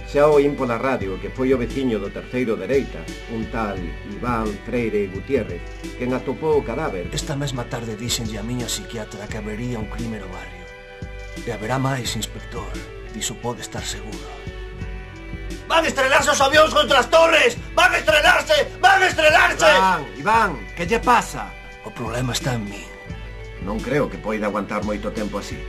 Xa oín pola radio que foi o veciño do terceiro dereita, un tal Iván Freire Gutiérrez, quen atopou o cadáver. Esta mesma tarde díxenlle a miña psiquiatra que habería un crime no barrio. E haberá máis, inspector. Diso pode estar seguro. ¡Van a estrelarse os avións contra as torres! ¡Van a estrelarse! ¡Van a estrelarse! Iván, que lle pasa? O problema está en mí. Non creo que poida aguantar moito tempo así.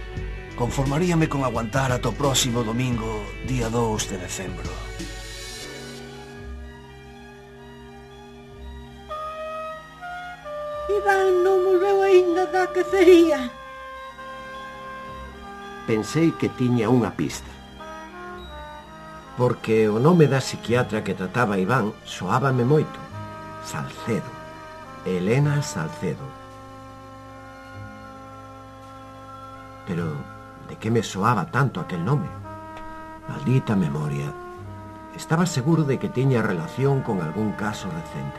Conformaríame con aguantar ata o próximo domingo, día 2 de decembro. Iván non volveu aínda da cacería. Pensei que tiña unha pista. Porque o nome da psiquiatra que trataba a Iván soábame moito. Salcedo. Elena Salcedo. Pero de que me soaba tanto aquel nome? Maldita memoria. Estaba seguro de que tiña relación con algún caso recente.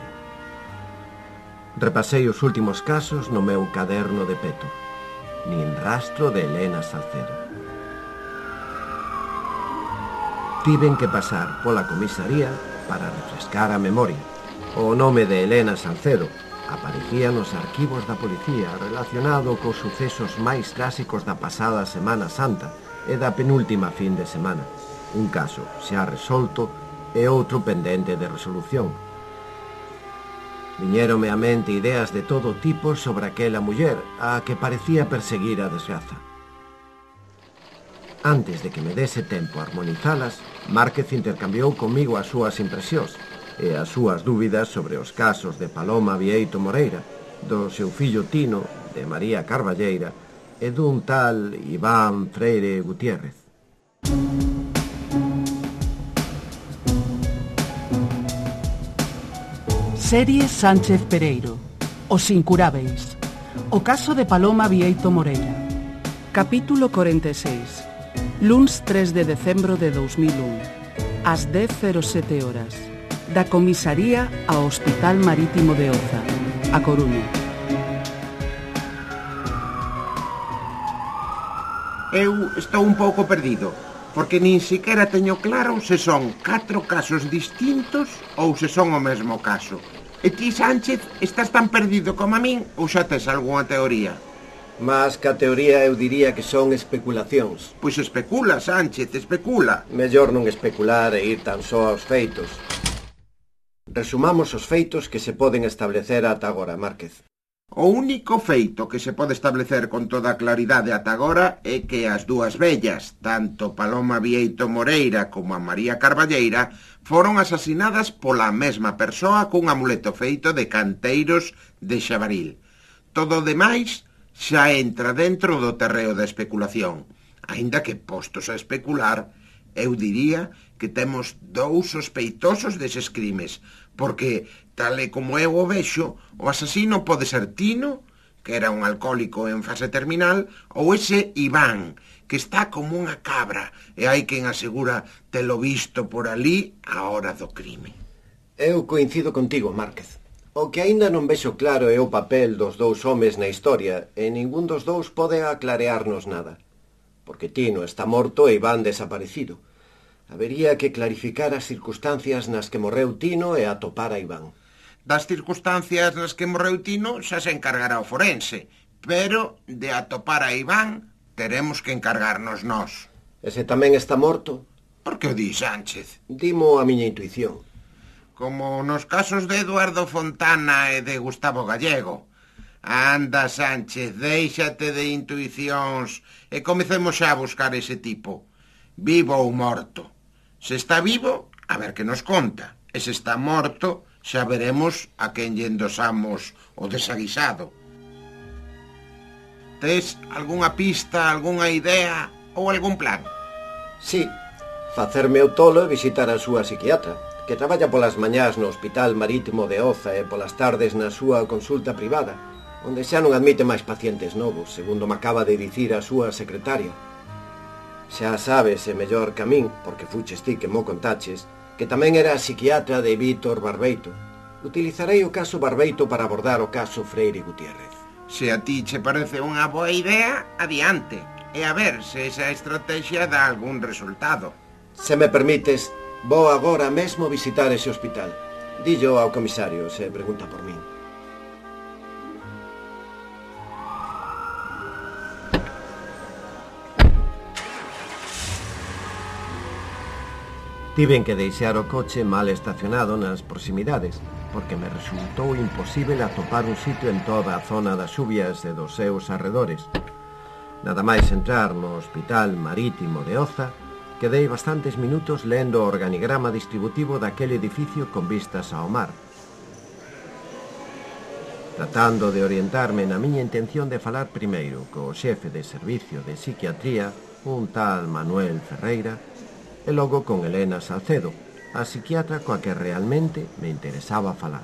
Repasei os últimos casos no meu caderno de peto. Nin rastro de Elena Salcedo. Tiven que pasar pola comisaría para refrescar a memoria. O nome de Elena Salcedo aparecía nos arquivos da policía relacionado cos sucesos máis clásicos da pasada Semana Santa e da penúltima fin de semana. Un caso xa resolto e outro pendente de resolución. Viñérome á mente ideas de todo tipo sobre aquela muller a que parecía perseguir a desgraza. Antes de que me dese tempo a armonizalas, Márquez intercambiou comigo as súas impresións e as súas dúbidas sobre os casos de Paloma Vieito Moreira, do seu fillo Tino, de María Carballeira e dun tal Iván Freire Gutiérrez. Serie Sánchez Pereiro. Os incurábeis. O caso de Paloma Vieito Moreira. Capítulo 46. Luns 3 de decembro de 2001. Ás 10:07 horas. Da comisaría ao Hospital Marítimo de Oza, A Coruña. Eu estou un pouco perdido, porque nin siquiera teño claro se son 4 casos distintos ou se son o mesmo caso. E ti, Sánchez, estás tan perdido como a min ou xa tes algunha teoría? Mas que a teoría eu diría que son especulacións. Pois especula, Sánchez, especula. Mellor non especular e ir tan só aos feitos. Resumamos os feitos que se poden establecer ata agora, Márquez. O único feito que se pode establecer con toda claridade ata agora é que as dúas vellas, tanto Paloma Vieito Moreira como a María Carballeira, foron asasinadas pola mesma persoa cun amuleto feito de canteiros de Xabaril. Todo o demais xa entra dentro do terreo da especulación, aínda que, postos a especular, eu diría que temos 2 sospeitosos deses crimes, porque, tal e como eu o vexo, o asasino pode ser Tino, que era un alcohólico en fase terminal, ou ese Iván, que está como unha cabra, e hai quen asegura telo visto por ali á hora do crime. Eu coincido contigo, Márquez. O que aínda non vexo claro é o papel dos 2 homes na historia, e ningún dos 2 pode aclarearnos nada. Porque Tino está morto e Iván desaparecido. Habería que clarificar as circunstancias nas que morreu Tino e atopar a Iván. Das circunstancias nas que morreu Tino xa se encargará o forense, pero de atopar a Iván teremos que encargarnos nós. Ese tamén está morto? Por que o di, Sánchez? Dimo a miña intuición. Como nos casos de Eduardo Fontana e de Gustavo Gallego. Anda, Sánchez, déixate de intuicións e comecemos xa a buscar ese tipo. Vivo ou morto. Se está vivo, a ver que nos conta. E se está morto, xa veremos a quen lle endosamos o desaguisado. Tes algunha pista, algunha idea ou algún plan? Sí, facerme o tolo e visitar a súa psiquiatra, que traballa polas mañás no Hospital Marítimo de Oza e polas tardes na súa consulta privada, onde xa non admite máis pacientes novos, segundo me acaba de dicir a súa secretaria. Xa sabes, e mellor que a min, porque fuches ti que mo contaches, que tamén era a psiquiatra de Vítor Barbeito. Utilizarei o caso Barbeito para abordar o caso Freire Gutiérrez. Se a ti che parece unha boa idea, adiante. E a ver se esa estrategia dá algún resultado. Se me permites, vou agora mesmo visitar ese hospital. Dillo ao comisario se pregunta por min. Tiven que deixar o coche mal estacionado nas proximidades, porque me resultou imposible atopar un sitio en toda a zona das Xubias e dos seus arredores. Nada máis entrar no Hospital Marítimo de Oza, quedei bastantes minutos lendo o organigrama distributivo daquele edificio con vistas ao mar, tratando de orientarme na miña intención de falar primeiro co xefe de servicio de psiquiatría, un tal Manuel Ferreira, e logo con Elena Salcedo, a psiquiatra coa que realmente me interesaba falar.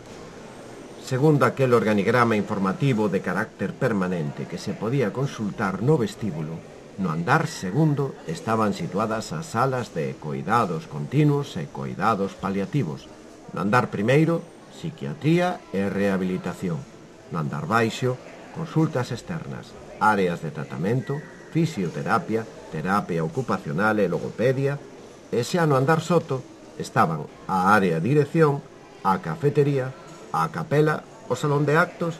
Segundo aquel organigrama informativo de carácter permanente que se podía consultar no vestíbulo, no andar segundo estaban situadas as salas de coidados continuos e coidados paliativos. No andar primeiro, psiquiatría e rehabilitación. No andar baixo, consultas externas, áreas de tratamento, fisioterapia, terapia ocupacional e logopedia, e xa no andar soto estaban a área de dirección, a cafetería, a capela, o salón de actos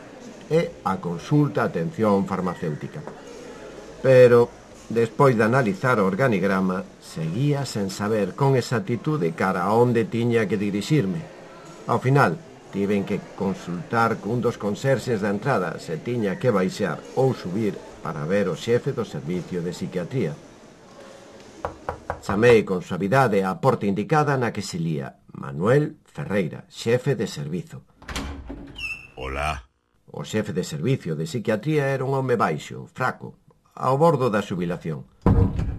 e a consulta atención farmacéutica. Pero, despois de analizar o organigrama, seguía sen saber con exactitude cara a onde tiña que dirixirme. Ao final, tiven que consultar cun dos conserxes da entrada se tiña que baixar ou subir para ver o xefe do servicio de psiquiatría. Chamei con suavidade a porta indicada na que se lía Manuel Ferreira, xefe de servizo. Hola. O xefe de servicio de psiquiatría era un home baixo, fraco, ao bordo da xubilación.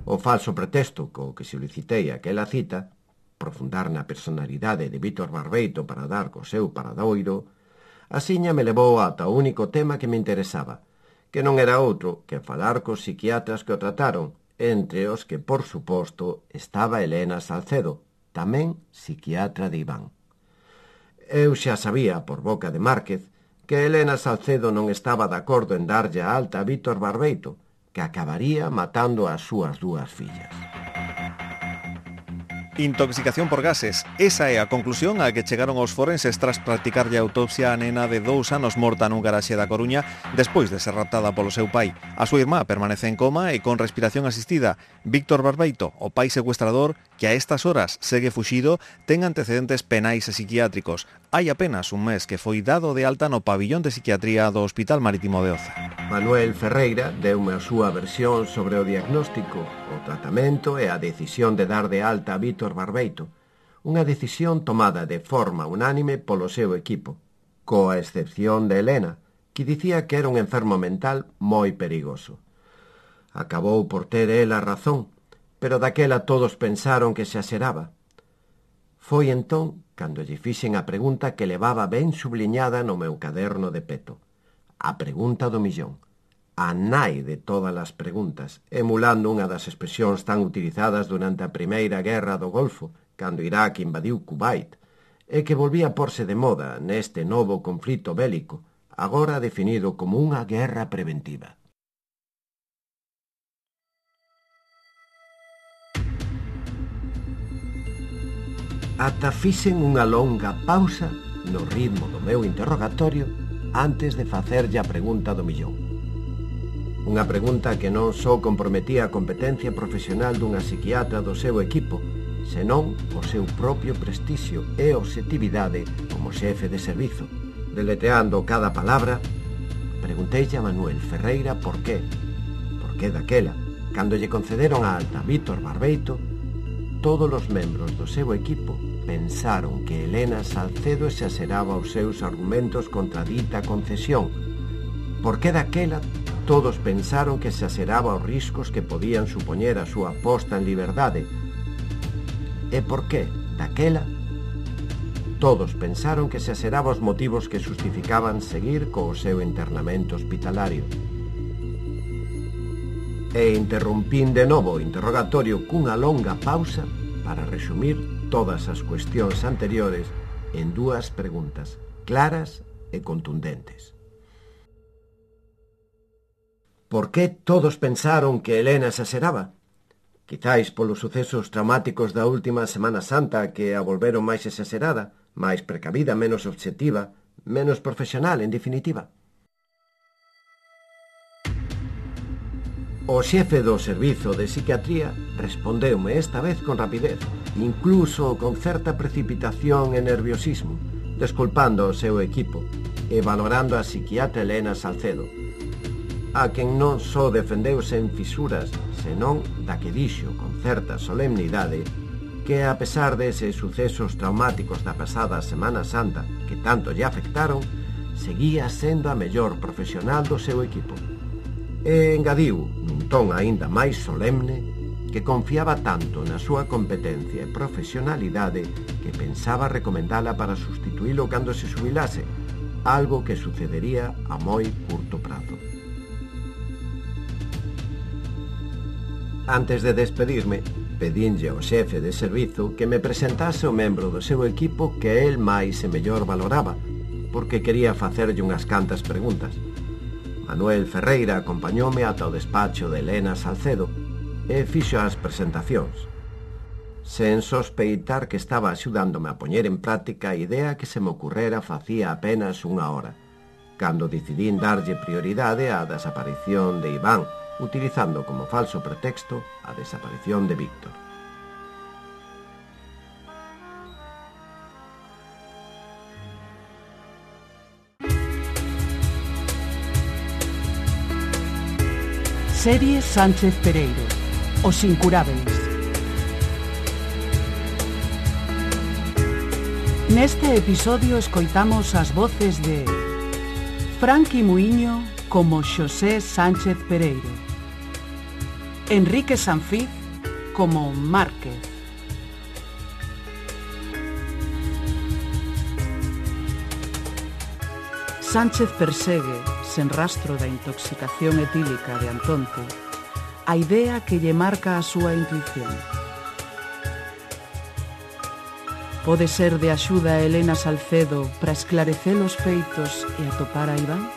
O falso pretexto co que solicitei aquela cita, profundar na personalidade de Víctor Barbeito para dar co seu paradoiro, asiña me levou ata o único tema que me interesaba, que non era outro que falar cos psiquiatras que o trataron, entre os que, por suposto, estaba Elena Salcedo, tamén psiquiatra de Iván. Eu xa sabía, por boca de Márquez, que Elena Salcedo non estaba de acordo en darlle a alta a Víctor Barbeito, que acabaría matando as súas dúas fillas. Intoxicación por gases. Esa é a conclusión a que chegaron os forenses tras practicarlle a autopsia a nena de 2 anos morta nun garaxe da Coruña despois de ser raptada polo seu pai. A súa irmá permanece en coma e con respiración asistida. Víctor Barbeito, o pai secuestrador, que a estas horas segue fuxido, ten antecedentes penais e psiquiátricos. Hai apenas un mes que foi dado de alta no pabillón de psiquiatría do Hospital Marítimo de Oza. Manuel Ferreira deume a súa versión sobre o diagnóstico, o tratamento e a decisión de dar de alta a Víctor Barbeito, unha decisión tomada de forma unánime polo seu equipo, coa excepción de Elena, que dicía que era un enfermo mental moi perigoso. Acabou por ter ela razón, pero daquela todos pensaron que se aseraba. Foi entón cando lle fixen a pregunta que levaba ben subliñada no meu caderno de peto. A pregunta do millón. A nai de todas as preguntas, emulando unha das expresións tan utilizadas durante a Primeira Guerra do Golfo, cando Irak invadiu Kuwait, e que volvía a porse de moda neste novo conflito bélico, agora definido como unha guerra preventiva. Ata fixen unha longa pausa no ritmo do meu interrogatorio antes de facerlle a pregunta do millón. Unha pregunta que non só comprometía a competencia profesional dunha psiquiatra do seu equipo, senón o seu propio prestixio e obxectividade como xefe de servizo. Deletreando cada palabra, pregunteille a Manuel Ferreira por qué daquela, cando lle concederon a alta a Víctor Barbeito, todos os membros do seu equipo pensaron que Elena Salcedo exageraba os seus argumentos contra dita concesión. Por que daquela todos pensaron que exageraba os riscos que podían supoñer a súa posta en liberdade? E por que daquela todos pensaron que exageraba os motivos que justificaban seguir co seu internamento hospitalario? E interrompín de novo o interrogatorio cunha longa pausa para resumir todas as cuestións anteriores en 2 preguntas claras e contundentes. Por que todos pensaron que Elena exageraba? Quizáis polos sucesos traumáticos da última Semana Santa que a volveron máis exagerada, máis precavida, menos obxectiva, menos profesional, en definitiva. O xefe do servizo de psiquiatría respondeume esta vez con rapidez, incluso con certa precipitación e nerviosismo, desculpando o seu equipo e valorando a psiquiatra Elena Salcedo, a quen non só defendeu sen fisuras, senón da que dixo con certa solemnidade que, a pesar deses sucesos traumáticos da pasada Semana Santa que tanto lle afectaron, seguía sendo a mellor profesional do seu equipo. E engadiu, nun ton aínda máis solemne, que confiaba tanto na súa competencia e profesionalidade que pensaba recomendala para sustituílo cando se xubilase, algo que sucedería a moi curto prazo. Antes de despedirme, pedinlle ao xefe de servizo que me presentase o membro do seu equipo que el máis e mellor valoraba, porque quería facerlle unhas cantas preguntas. Manuel Ferreira acompañoume ata o despacho de Elena Salcedo e fixo as presentacións, sen sospeitar que estaba axudándome a poñer en práctica a idea que se me ocurrera facía apenas unha hora, cando decidín darlle prioridade á desaparición de Iván, utilizando como falso pretexto a desaparición de Víctor. Serie Sánchez Pereiro, Os Incurábeis. Neste episodio escoitamos as voces de Franqui Muiño como Xosé Sánchez Pereiro, Enrique Sanfiz como Márquez, Sánchez persegue, sen rastro da intoxicación etílica de Antonte, a idea que lle marca a súa intuición. Pode ser de axuda a Elena Salcedo para esclarecer os feitos e atopar a Iván?